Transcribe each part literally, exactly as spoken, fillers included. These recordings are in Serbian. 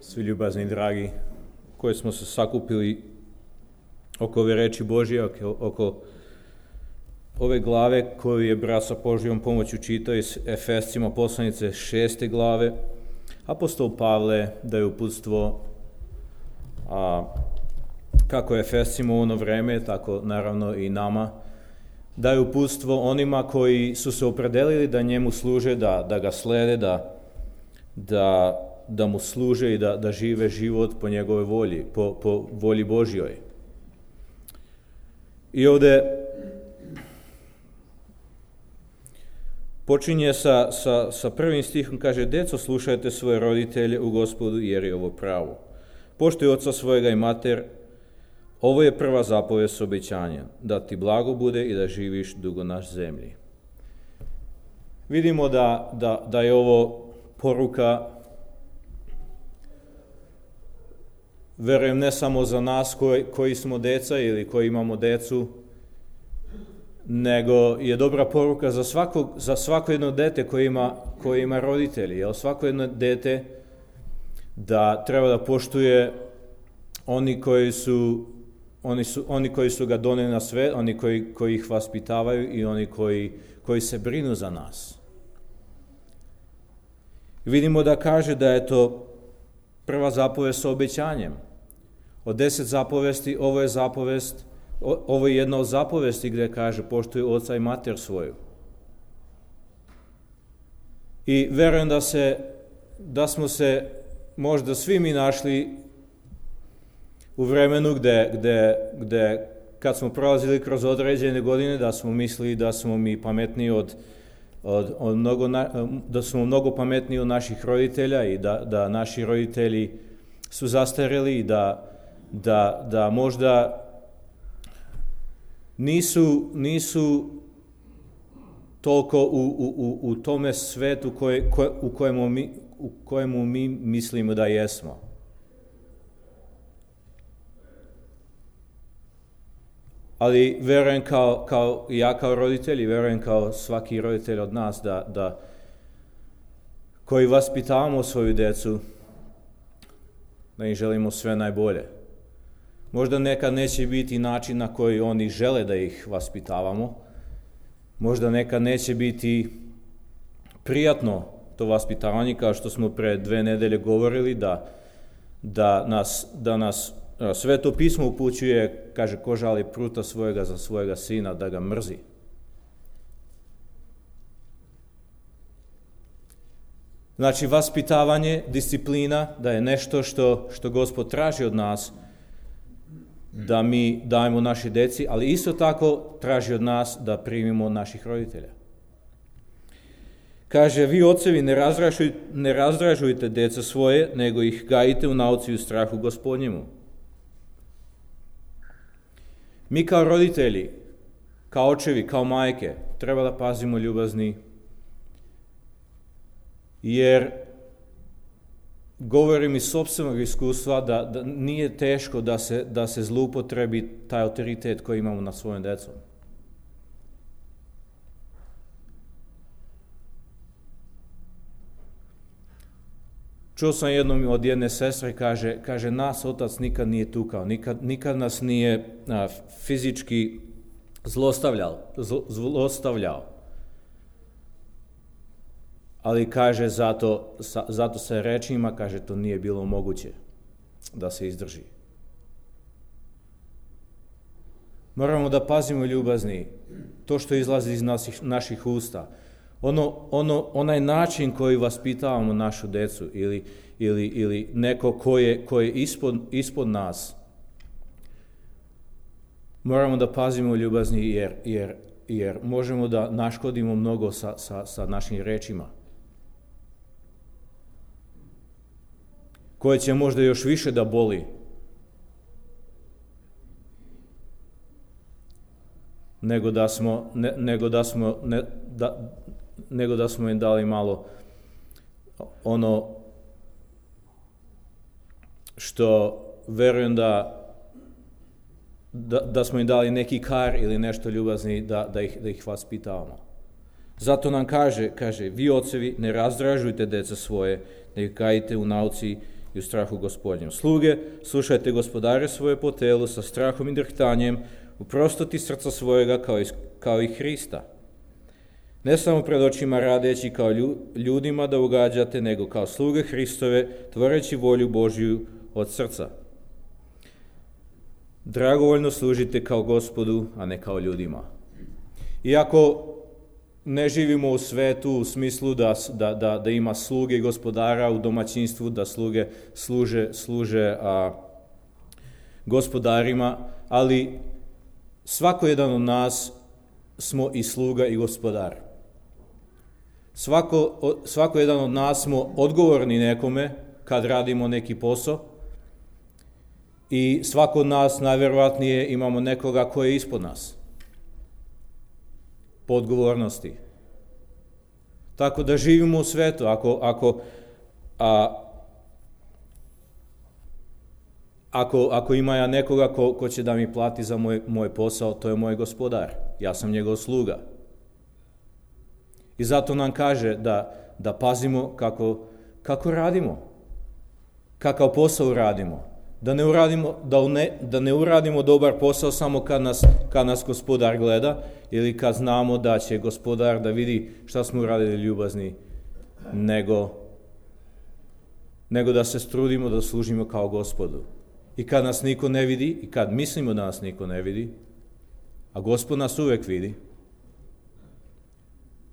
svi ljubazni i dragi, koji smo se sakupili oko ove reči Božje, oko, oko ove glave koju je brat sa Božjom pomoću čitao iz Efescima poslanice šeste glave. Apostol Pavle daje uputstvo a, kako Efescima u ono vreme, tako naravno i nama, daje uputstvo onima koji su se opredelili da njemu služe, da, da ga slede, da, da, da mu služe i da, da žive život po njegove volji, po, po volji Božjoj. I ovde počinje sa, sa, sa prvim stihom, kaže: Deco, slušajte svoje roditelje u Gospodu, jer je ovo pravo. Poštuj oca svojega i mater, ovo je prva zapovest s obećanjem, da ti blago bude i da živiš dugo na zemlji. Vidimo da, da, da je ovo poruka, verujem, ne samo za nas koji, koji smo deca ili koji imamo decu, nego je dobra poruka za svako, za svako jedno dete koje ima, koje ima roditelji. Jer svako jedno dete da treba da poštuje oni koji su, oni su, oni koji su ga doneli na svet, oni koji, koji ih vaspitavaju i oni koji, koji se brinu za nas. Vidimo da kaže da je to prva zapovest sa obećanjem. Od deset zapovesti, ovo je zapovest, ovo je jedna od zapovesti gdje kaže: poštuj oca i mater svoju. I verujem da se, da smo se možda svi mi našli u vremenu gdje, gdje, gdje kad smo prolazili kroz određene godine, da smo mislili da smo mi pametniji od, od, od mnogo, da smo mnogo pametniji od naših roditelja i da, da naši roditelji su zastarjeli i da, da, da možda nisu, nisu toliko u, u, u, u tome svetu koje, koje, u, kojemu mi, u kojemu mi mislimo da jesmo. Ali verujem kao, kao ja kao roditelj i verujem kao svaki roditelj od nas da, da koji vaspitavamo svoju djecu, da im želimo sve najbolje. Možda nekad neće biti način na koji oni žele da ih vaspitavamo. Možda nekad neće biti prijatno to vaspitavanje, kao što smo pre dve nedelje govorili, da, da nas, da nas Sveto pismo upućuje, kaže: ko žali pruta svojega za svojega sina, da ga mrzi. Znači, vaspitavanje, disciplina, da je nešto što, što Gospod traži od nas, da mi dajemo našoj deci, ali isto tako traži od nas da primimo naših roditelja. Kaže: vi ocevi ne, razdražuj, ne razdražujte deca svoje, nego ih gajite u nauci i u strahu Gospodnjemu. Mi kao roditelji, kao očevi, kao majke, treba da pazimo ljubazni, jer govorim iz sopstvenog iskustva da, da nije teško da se, da se zloupotrebi taj autoritet koji imamo nad svojom decom. Čuo sam jednom od jedne sestre, kaže, kaže nas otac nikad nije tukao, nikad, nikad nas nije a, fizički zlostavljao, zlo, zlostavljao. Ali kaže, zato, sa, zato se rečima, kaže, to nije bilo moguće da se izdrži. Moramo da pazimo ljubazni, to što izlazi iz naših, naših usta. Ono, ono, onaj način koji vaspitavamo našu decu ili, ili, ili neko ko je, ko je ispod, ispod nas, moramo da pazimo ljubazni jer, jer, jer možemo da naškodimo mnogo sa, sa, sa našim rečima, koje će možda još više da boli nego da smo, ne, nego da smo ne, da, nego da smo im dali malo ono što verujem da, da, da smo im dali neki kar ili nešto ljubazni da, da, ih, da ih vaspitavamo. Zato nam kaže, kaže, vi ocevi ne razdražujte deca svoje, nego gajite u nauci i u strahu Gospodnjem. Sluge, slušajte gospodare svoje po telu sa strahom i drhtanjem, u prostoti srca svojega kao i, kao i Hrista. Ne samo pred očima radeći kao ljudima da ugađate, nego kao sluge Hristove, tvoreći volju Božju od srca. Dragovoljno služite kao Gospodu, a ne kao ljudima. Iako ne živimo u svetu u smislu da, da, da, da ima sluge gospodara u domaćinstvu, da sluge služe, služe a, gospodarima, ali svako jedan od nas smo i sluga i gospodar. Svako, svako jedan od nas smo odgovorni nekome kad radimo neki posao i svako od nas najvjerovatnije imamo nekoga koji je ispod nas po odgovornosti. Tako da živimo u svetu. Ako, ako, a, ako, ako ima ja nekoga ko, ko će da mi plati za moj, moj posao, to je moj gospodar. Ja sam njegov sluga. I zato nam kaže da, da pazimo kako, kako radimo, kakav posao radimo. Da ne uradimo, da ne, da ne uradimo dobar posao samo kad nas, kad nas gospodar gleda ili kad znamo da će gospodar da vidi šta smo uradili ljubazni, nego, nego da se strudimo da služimo kao Gospodu. I kad nas niko ne vidi, i kad mislimo da nas niko ne vidi, a Gospod nas uvek vidi,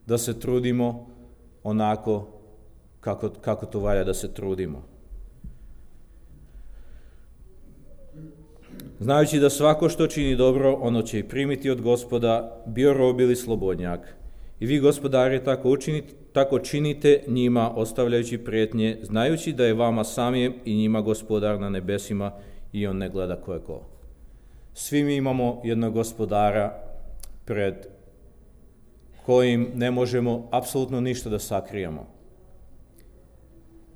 da se trudimo onako kako, kako to valja da se trudimo. Znajući da svako što čini dobro, ono će i primiti od Gospoda, bio rob ili slobodnjak. I vi, gospodari, tako, učinite, tako činite njima, ostavljajući prijetnje, znajući da je vama samijem i njima gospodar na nebesima i on ne gleda ko je ko. Svi mi imamo jednog gospodara pred kojim ne možemo apsolutno ništa da sakrijemo.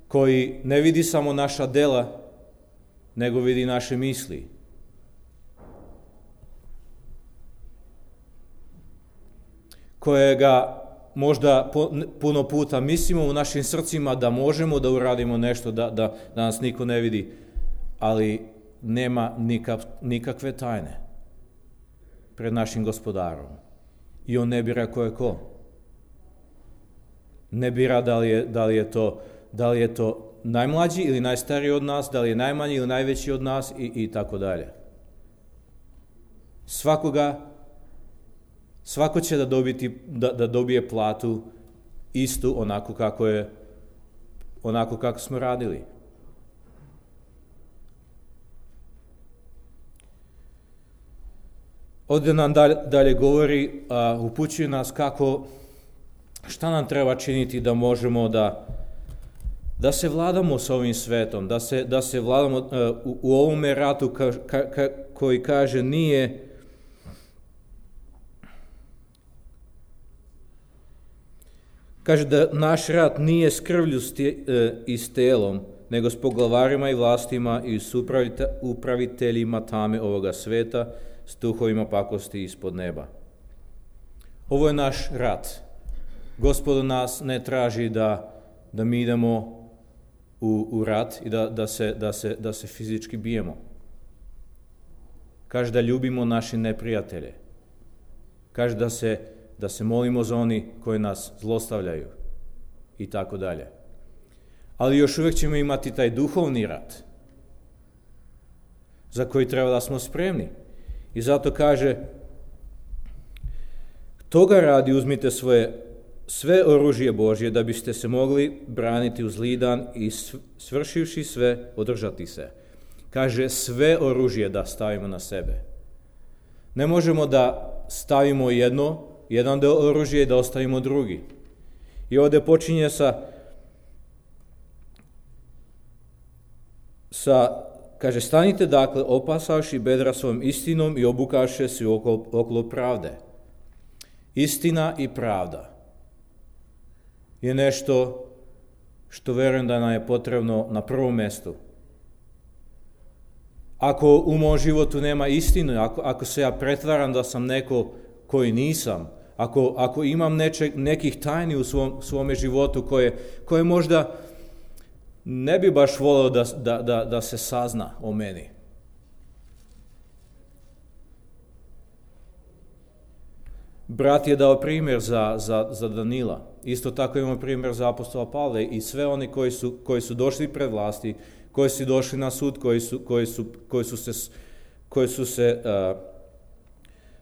Koji ne vidi samo naša dela, nego vidi naše misli. Kojega možda puno puta mislimo u našim srcima da možemo da uradimo nešto, da, da, da nas niko ne vidi, ali nema nikak, nikakve tajne pred našim gospodarom. I on ne bira ko je ko. Ne bira da li je, da li je, to, da li je to najmlađi ili najstariji od nas, da li je najmanji ili najveći od nas i, i tako dalje. Svakoga Svako će da, dobiti, da, da dobije platu istu onako kako je, onako kako smo radili. Ovdje nam dalje, dalje govori, a, upućuje nas kako, šta nam treba činiti da možemo da, da se vladamo s ovim svetom, da se, da se vladamo a, u, u ovome ratu ka, ka, ka, koji kaže nije Kaže da naš rat nije s krvlju i s telom, nego s poglavarima i vlastima i s upraviteljima tame ovoga sveta, s duhovima pakosti ispod neba. Ovo je naš rat. Gospod nas ne traži da, da mi idemo u, u rat i da, da, se, da, se, da se fizički bijemo. Kaže da ljubimo naše neprijatelje. Kaže da se da se molimo za oni koji nas zlostavljaju i tako dalje. Ali još uvijek ćemo imati taj duhovni rat za koji treba da smo spremni. I zato kaže, toga radi uzmite svoje sve oružje Božje da biste se mogli braniti uz zli dan i svršivši sve održati se. Kaže sve oružje da stavimo na sebe. Ne možemo da stavimo jedno jedan deo oružja i da ostavimo drugi. I ovdje počinje sa, sa kaže, stanite dakle, opasavši bedra svojom istinom i obukaše se okolo, okolo pravde. Istina i pravda je nešto što verujem da nam je potrebno na prvom mjestu. Ako u mom životu nema istine, ako, ako se ja pretvaram da sam neko koji nisam, Ako, ako imam neče, nekih tajni u svom, svome životu koje, koje možda ne bi baš volio da, da, da, da se sazna o meni. Brat je dao primjer za, za, za Danila. Isto tako imamo primjer za apostola Pavla i sve oni koji su, koji su došli pred vlasti, koji su došli na sud, koji su, koji su, koji su se, koji su se uh,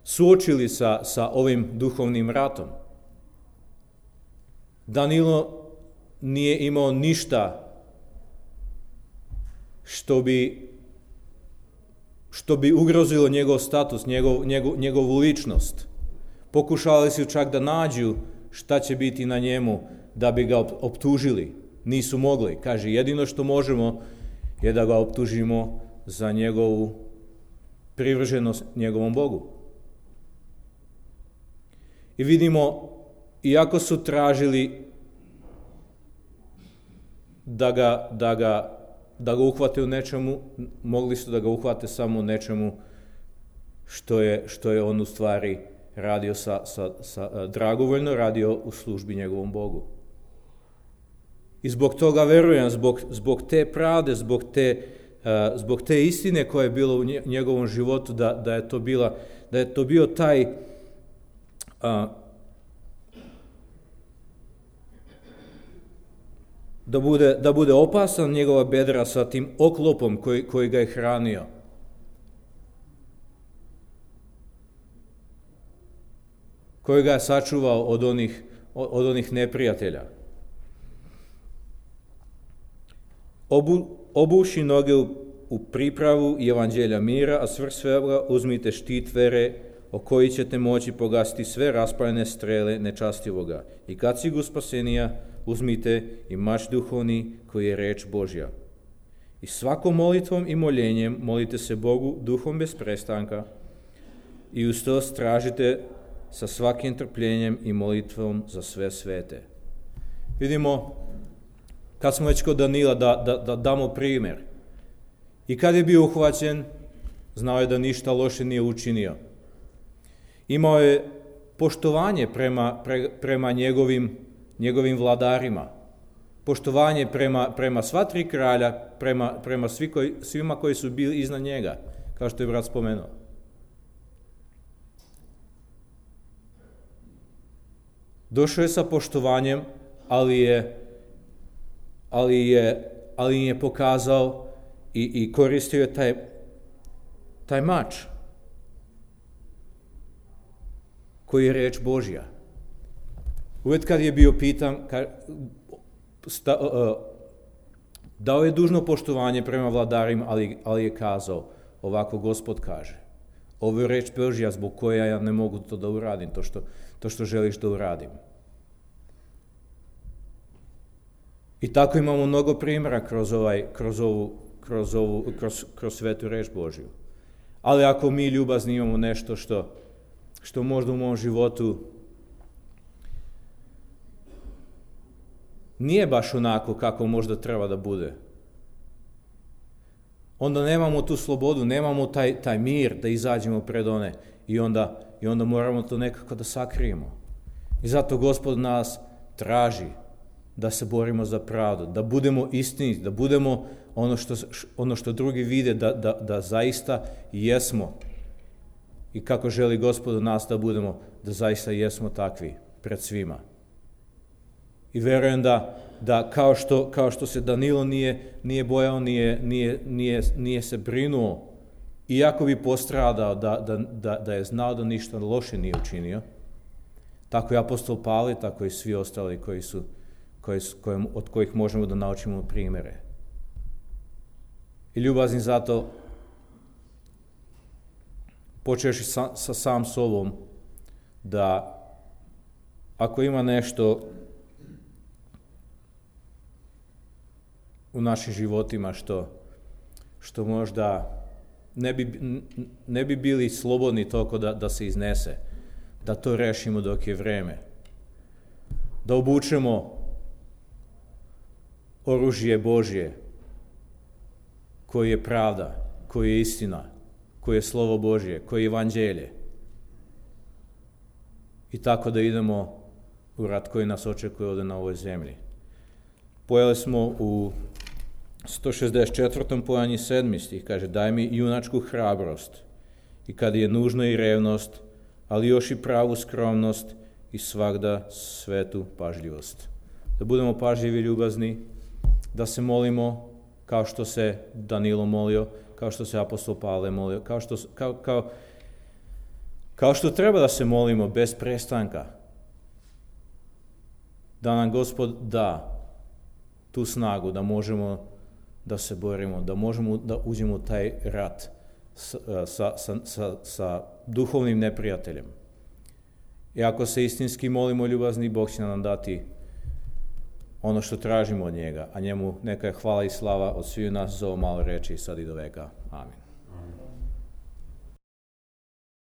suočili sa, sa ovim duhovnim ratom. Danilo nije imao ništa što bi, što bi ugrozilo njegov status, njegov, njegov, njegovu ličnost. Pokušali su čak da nađu šta će biti na njemu da bi ga optužili. Nisu mogli. Kaže, jedino što možemo je da ga optužimo za njegovu privrženost njegovom Bogu. I vidimo, iako su tražili da ga, da ga, da ga uhvate u nečemu, mogli su da ga uhvate samo u nečemu što je, što je on u stvari radio sa, sa, sa, dragovoljno radio u službi njegovom Bogu. I zbog toga verujem, zbog, zbog te pravde, zbog te, uh, zbog te istine koja je bila u njegovom životu, da, da, je, to bila, da je to bio taj uh, da bude, da bude opasan njegova bedra sa tim oklopom koji, koji ga je hranio. Koji ga je sačuvao od onih, od onih neprijatelja. Obu, obuši noge u, u pripravu evanđelja mira, a svrh svega uzmite štit vere, o koji ćete moći pogasiti sve raspaljene strele nečastivoga. I kacigu spasenija uzmite i mač duhovni koji je reč Božja. I svakom molitvom i moljenjem molite se Bogu duhom bez prestanka i uz to stražite sa svakim trpljenjem i molitvom za sve svete. Vidimo, kad smo već kod Danila, da, da, da damo primjer. I kad je bio uhvaćen, znao je da ništa loše nije učinio. Imao je poštovanje prema, pre, prema njegovim, njegovim vladarima. Poštovanje prema, prema sva tri kralja, prema, prema svi koji, svima koji su bili iznad njega, kao što je brat spomenuo. Došao je sa poštovanjem, ali je, ali je, ali je pokazao i, i koristio je taj, taj mač koji je reč Božja. Uvijek kad je bio pitan, kad, sta, uh, dao je dužno poštovanje prema vladarima, ali, ali je kazao, ovako Gospod kaže, ovo je reč Božja zbog koja ja ne mogu to da uradim, to što, to što želiš da uradim. I tako imamo mnogo primjera kroz, ovaj, kroz, ovu, kroz, ovu, kroz, kroz svetu reč Božju. Ali ako mi ljubazni imamo nešto što, što možda u mom životu nije baš onako kako možda treba da bude, onda nemamo tu slobodu, nemamo taj, taj mir da izađemo pred one i onda, i onda moramo to nekako da sakrijemo. I zato Gospod nas traži da se borimo za pravdu, da budemo istiniti, da budemo ono što, ono što drugi vide, da, da, da zaista jesmo. I kako želi Gospod od nas da budemo, da zaista jesmo takvi pred svima. I verujem da, da kao, što, kao što se Danilo nije, nije bojao, nije, nije, nije, nije se brinuo, iako bi postradao da, da, da, da je znao da ništa loše nije učinio, tako i apostol Pavle, tako i svi ostali koji su, koji su, koji, od kojih možemo da naučimo primjere. I ljubazni zato, počeš sa, sa sam sobom, da ako ima nešto u našim životima što, što možda ne bi, ne bi bili slobodni toliko da, da se iznese, da to rešimo dok je vreme. Da obučemo oružje Božje, koji je pravda, koji je istina, koji je slovo Božje, koji je evanđelje. I tako da idemo u rat koji nas očekuje ovdje na ovoj zemlji. Pojeli smo u sto šezdeset četvrtom pojanji sedmi stih kaže: daj mi junačku hrabrost i kad je nužna i revnost, ali još i pravu skromnost i svagda svetu pažljivost. Da budemo pažljivi i ljubazni, da se molimo kao što se Danilo molio, kao što se apostol Pavle molio, kao što, kao, kao, kao što treba da se molimo bez prestanka. Da nam Gospod da tu snagu da možemo da se borimo, da možemo da uđemo u taj rat sa, sa, sa, sa, sa duhovnim neprijateljem. I ako se istinski molimo ljubazni, Bog će nam dati ono što tražimo od njega, a njemu neka je hvala i slava od sviju nas za ovo malo reči sad i do veka. Amin.